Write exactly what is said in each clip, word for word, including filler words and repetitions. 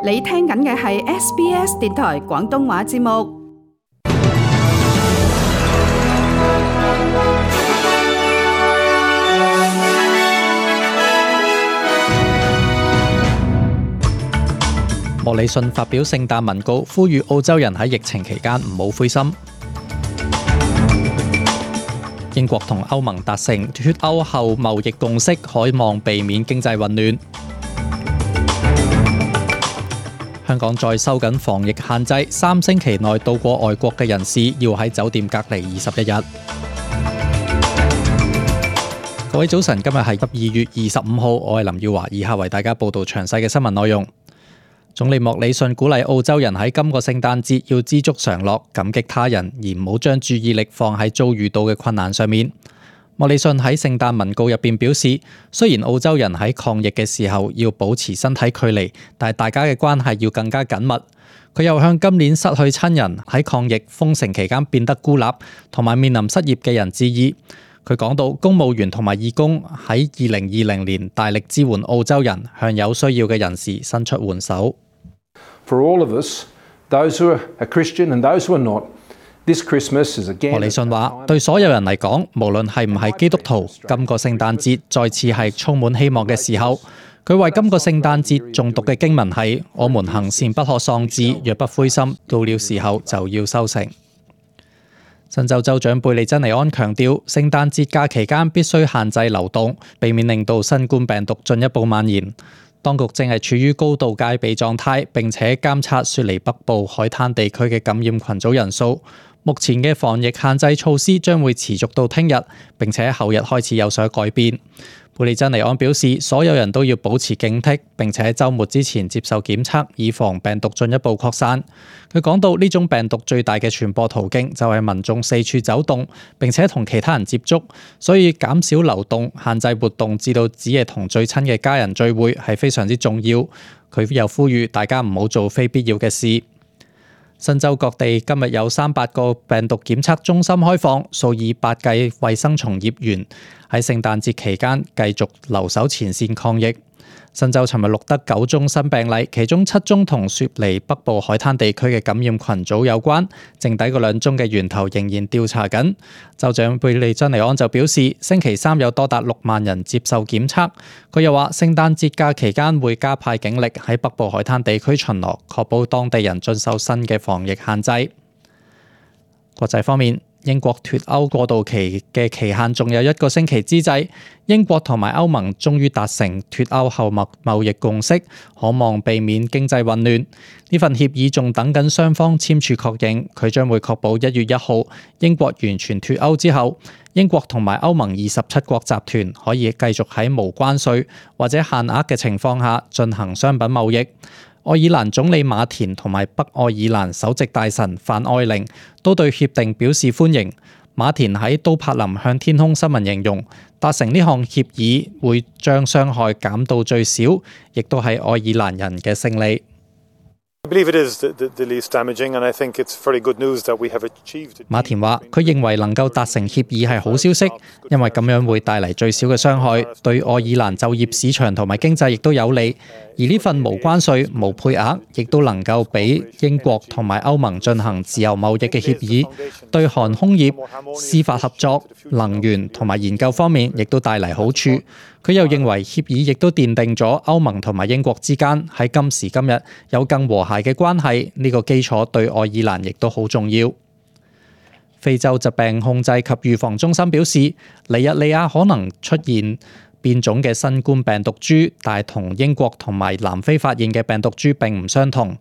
你聽緊嘅係 S B S 電台廣東話節目。莫里遜發表聖誕文告，呼籲澳洲人喺疫情期間唔好灰心。英國同歐盟達成脫歐後貿易共識，可望避免經濟混亂。香港再收緊防疫限制，三星期內到過外國嘅人士要喺酒店隔離二十一日。各位早晨，今日係十二月二十五號，我係林耀華，以下為大家報道詳細嘅新聞內容。總理莫里遜鼓勵澳洲人喺今個聖誕節要知足常樂，感激他人，而唔好將注意力放喺遭遇到嘅困難上面。莫里遜喺聖誕文告入邊表示，雖然澳洲人喺抗疫嘅時候要保持身體距離，但係大家嘅關係要更加緊密。佢又向今年失去親人、喺抗疫封城期間變得孤立同埋面臨失業嘅人致意。佢講到，公務員同埋義工喺二零二零年大力支援澳洲人，向有需要嘅人士伸出援手。For all of us, those who are Christian and those who are not, this Christmas is again. 莫里遜話：對所有人嚟講，無論係唔係基督徒，今個聖誕節再次係充滿希望嘅時候。佢為今個聖誕節誦讀嘅經文係：我們行善不可喪志，若不灰心，到了時候就要收成。新州州長貝利珍尼安強調，聖誕節假期間必須限制流動，避免令到新冠病毒進一步蔓延。當局正係處於高度戒備狀態，並且監察雪梨北部海灘地區嘅感染群組人數。目前嘅防疫限制措施將會持續到聽日，並且後日開始有所改變。貝利珍尼安表示，所有人都要保持警惕，並且喺週末之前接受檢測，以防病毒進一步擴散。佢講到，呢種病毒最大嘅傳播途徑就係民眾四處走動，並且同其他人接觸，所以減少流動、限制活動，至到只係同最親嘅家人聚會係非常之重要。佢又呼籲大家唔好做非必要嘅事。新州各地今日有三百個病毒檢測中心開放，數以百計衛生從業員喺聖誕節期間繼續留守前線抗疫。新州尋日錄得九宗新病例，其中七宗同雪梨北部海灘地區嘅感染群組有關，剩低嗰兩宗嘅源頭仍然調查緊。州長貝利珍尼安就表示，星期三有多達六萬人接受檢測。佢又話，聖誕節假期間會加派警力喺北部海灘地區巡邏，確保當地人遵守新嘅防疫限制。國際方面，英國脫歐過渡期嘅期限仲有一個星期之際，英國同埋歐盟終於達成脫歐後貿易共識，可望避免經濟混亂。呢份協議仲等緊雙方簽署確認，佢將會確保一月一號英國完全脫歐之後，英國同埋歐盟二十七國集團可以繼續喺無關稅或者限額嘅情況下進行商品貿易。愛爾蘭總理馬田同埋北愛爾蘭首席大臣范愛玲都對協定表示歡迎。馬田喺都柏林向天空新聞形容，達成呢項協議會將傷害減到最少，亦都係愛爾蘭人嘅勝利。馬田話：佢認為能夠達成協議係好消息，因為咁樣會帶嚟最少嘅傷害，對愛爾蘭就業市場同埋經濟亦都有利。而呢份無關稅、無配額，亦都能夠俾英國同埋歐盟進行自由貿易嘅協議，對航空業、司法合作、能源同埋研究方面亦都帶嚟好處。佢又認為協議亦都奠定咗歐盟同埋英國之間喺今時今日有更和諧嘅關係，呢個基礎對愛爾蘭亦都好重要。非洲疾病控制及預防中心表示，尼日利亞可能出現變種嘅新冠病毒株，但係同英國同埋南非發現嘅病毒株並唔相同。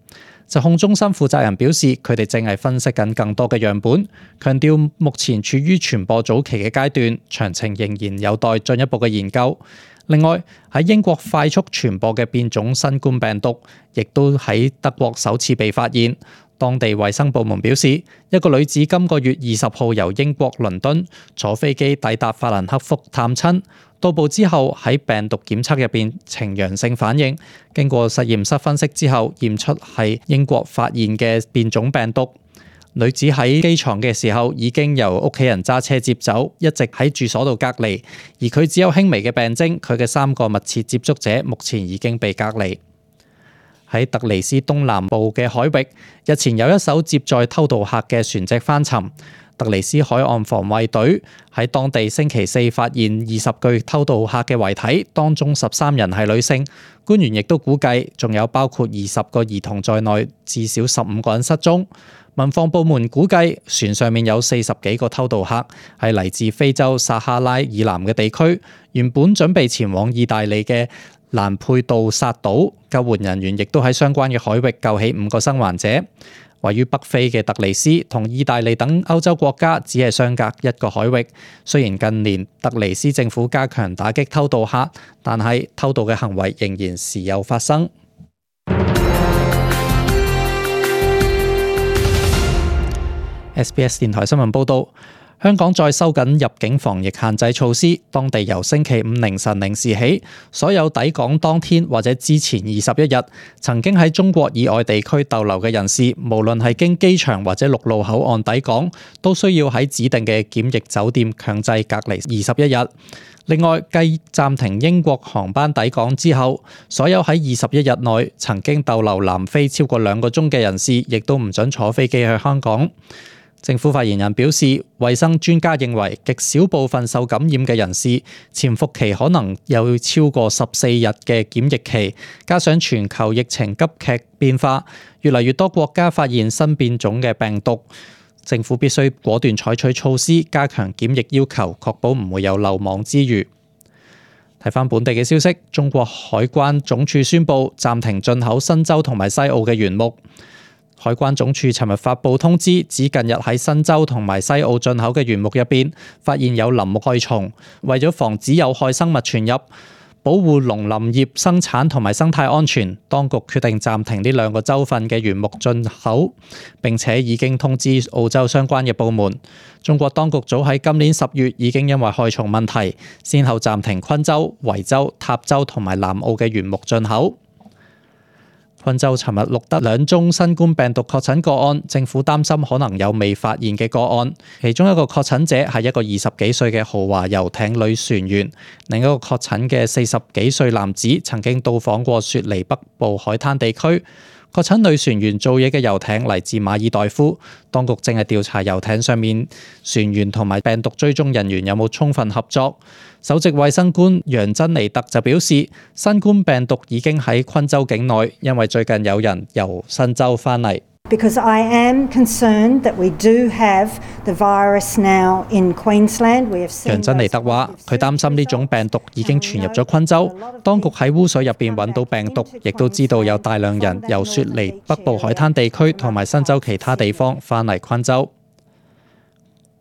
疾控中心負責人表示，佢哋正係分析緊更多嘅樣本，強調目前處於傳播早期嘅階段，詳情仍然有待進一步嘅研究。另外，喺英國快速傳播嘅變種新冠病毒，亦都喺德國首次被發現。當地衛生部門表示，一個女子今個月二十號由英國倫敦坐飛機抵達法蘭克福探親，到埗之後喺病毒檢測入邊呈陽性反應，經過實驗室分析之後驗出係英國發現嘅變種病毒。女子喺機場嘅時候已經由屋企人揸車接走，一直喺住所度隔離，而佢只有輕微嘅病徵。佢嘅三個密切接觸者目前已經被隔離。喺特尼斯東南部嘅海域，日前有一艘接載偷渡客嘅船隻翻沉。特尼斯海岸防衛隊喺當地星期四發現二十具偷渡客嘅遺體，當中十三人係女性。官員亦都估計，仲有包括二十個兒童在內，至少十五個人失蹤。民防部門估計，船上面有四十幾個偷渡客，係嚟自非洲撒哈拉以南嘅地區，原本準備前往意大利嘅蘭佩杜薩島。救援人員亦都喺相關嘅海域救起五個生還者。位於北非嘅特尼斯同意大利等歐洲國家只係相隔一個海域。雖然近年特尼斯政府加強打擊偷渡客，但係偷渡嘅行為仍然時有發生。S B S 電台新聞報導，香港再收緊入境防疫限制措施，當地由星期五凌晨零時起，所有抵港當天或者之前二十一日曾經喺中國以外地區逗留嘅人士，無論係經機場或者陸路口岸抵港，都需要喺指定嘅檢疫酒店強制隔離二十一日。另外，繼暫停英國航班抵港之後，所有喺二十一日內曾經逗留南非超過兩個鐘嘅人士，亦都唔准坐飛機去香港。政府發言人表示，衛生專家認為極少部分受感染嘅人士潛伏期可能有超過十四日嘅檢疫期，加上全球疫情急劇變化，越嚟越多國家發現新變種嘅病毒，政府必須果斷採取措施，加強檢疫要求，確保唔會有漏網之魚。睇返本地嘅消息，中國海關總署宣布暫停進口新州同埋西澳嘅原木。海關總署尋日發布通知，指近日喺新州同埋西澳進口嘅原木入邊發現有林木害蟲，為咗防止有害生物傳入，保護農林業生產同埋生態安全，當局決定暫停呢兩個州份嘅原木進口，並且已經通知澳洲相關嘅部門。中國當局早喺今年十月已經因為害蟲問題，先後暫停昆州、維州、塔州同埋南澳嘅原木進口。昆州尋日錄得兩宗新冠病毒確診個案，政府擔心可能有未發現嘅個案。其中一個確診者係一個二十幾歲嘅豪華遊艇女船員，另一個確診嘅四十幾歲男子曾經到訪過雪梨北部海灘地區。確診女船員做嘢嘅遊艇嚟自馬爾代夫，當局正係調查遊艇上面船員同埋病毒追蹤人員有冇充分合作。首席衛生官楊珍妮特就表示，新冠病毒已經喺昆州境內，因為最近有人由新州返嚟。Because I am concerned that we do have the virus now in Queensland. We have seen 楊珍妮特話，佢擔心呢種病毒已經傳入咗昆州，當局喺污水入邊揾到病毒，亦都知道有大量人由雪梨北部海灘地區同埋新州其他地方返嚟昆州。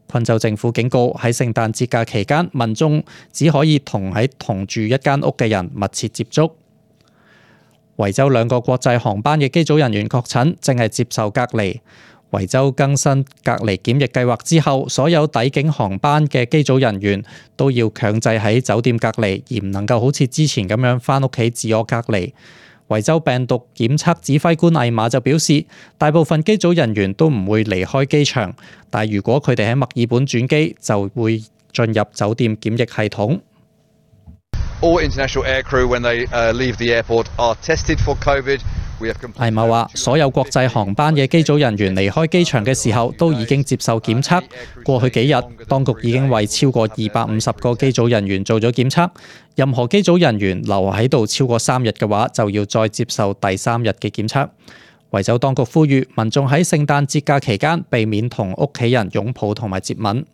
昆州政府警告，喺聖誕節假期間，民眾只可以同喺同住一間屋嘅人密切接觸。維州兩個國際航班嘅機組人員確診，正係接受隔離。維州更新隔離檢疫計劃之後，所有抵境航班嘅機組人員都要強制喺酒店隔離，而唔能夠好似之前咁樣返屋企自我隔離。維州病毒檢測指揮官艾瑪就表示，大部分機組人員都唔會離開機場，但如果佢哋喺墨爾本轉機，就會進入酒店檢疫系統。All international aircrew when they leave the airport are tested for COVID. 艾瑪話，所有國際航班嘅機組人員離開機場嘅時候都已經接受檢測。過去幾日，當局已經為超過二百五十個機組人員做咗檢測。任何機組人員留喺度超過三日嘅話，就要再接受第三日嘅檢測。維州當局呼籲民眾喺聖誕節假期間避免同屋企人擁抱同埋接吻。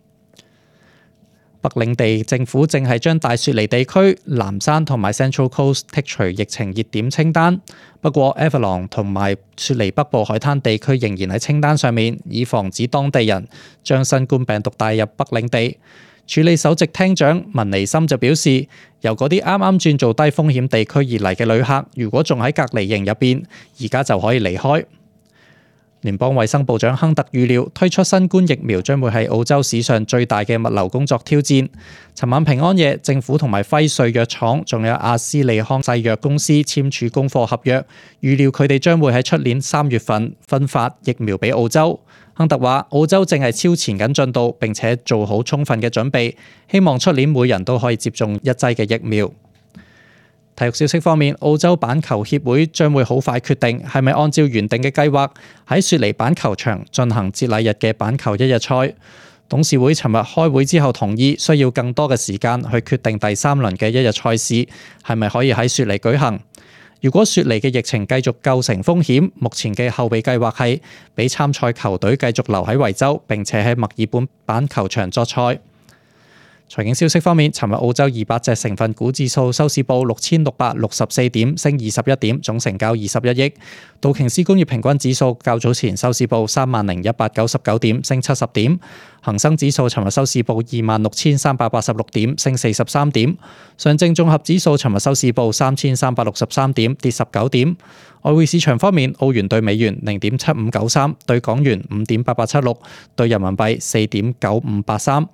北領地政府正係將大雪梨地區、南山同埋 Central Coast 剔除疫情熱點清單，不過 Avalon 同埋雪梨北部海灘地區仍然喺清單上面，以防止當地人將新冠病毒帶入北領地。處理首席廳長文尼森就表示，由嗰啲啱啱轉做低風險地區而嚟嘅旅客，如果仲喺隔離營入邊，而家就可以離開。聯邦衛生部長亨特預料推出新冠疫苗將會係澳洲史上最大嘅物流工作挑戰。尋晚平安夜，政府同埋輝瑞藥廠仲有阿斯利康製藥公司簽署供貨合約，預料佢哋將會喺出年三月份分發疫苗俾澳洲。亨特話，澳洲正係超前緊進度，並且做好充分嘅準備，希望出年每人都可以接種一劑嘅疫苗。體育消息方面，澳洲板球協會將會好快決定係咪按照原定嘅計劃喺雪梨板球場進行節禮日嘅板球一日賽。董事會尋日開會之後同意，需要更多嘅時間去決定第三輪嘅一日賽事係咪可以喺雪梨舉行。如果雪梨嘅疫情繼續構成風險，目前嘅後備計劃係俾參賽球隊繼續留喺維州，並且喺墨爾本板球場作賽。財經消息方面，尋日澳洲二百隻成分股指數收市報六千六百六十四點，升二十一點，總成交二十一億。道瓊斯工業平均指數較早前收市報三萬零一百九十九點，升七十點。恒生指數尋日收市報二萬六千三百八十六點，升四十三點。上證綜合指數尋日收市報三千三百六十三點，跌十九點。外匯市場方面，澳元對美元零點七五九三，對港元五點八八七六，對人民幣四點九五八三。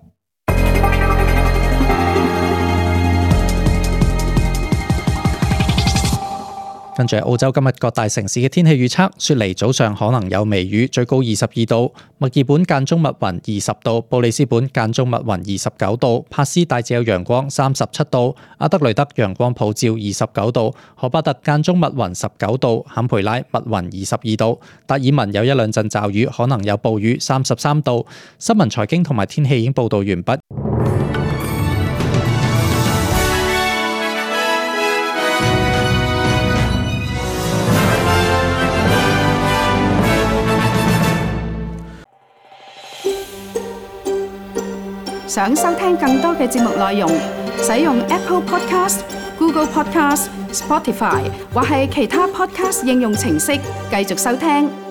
跟住澳洲今日各大城市嘅天氣預測，雪梨早上可能有微雨，最高二十二度；墨爾本間中密雲二十度；布里斯本間中密雲二十九度；帕斯大致有陽光三十七度；阿德雷德陽光普照二十九度；荷巴特間中密雲十九度；坎培拉密雲二十二度；達爾文有一兩陣驟雨，可能有暴雨三十三度。新聞財經同埋天氣已經報導完畢。想收聽更多嘅節目內容，使用 Apple Podcast、Google Podcast、Spotify 或係其他 Podcast 應用程式繼續收聽。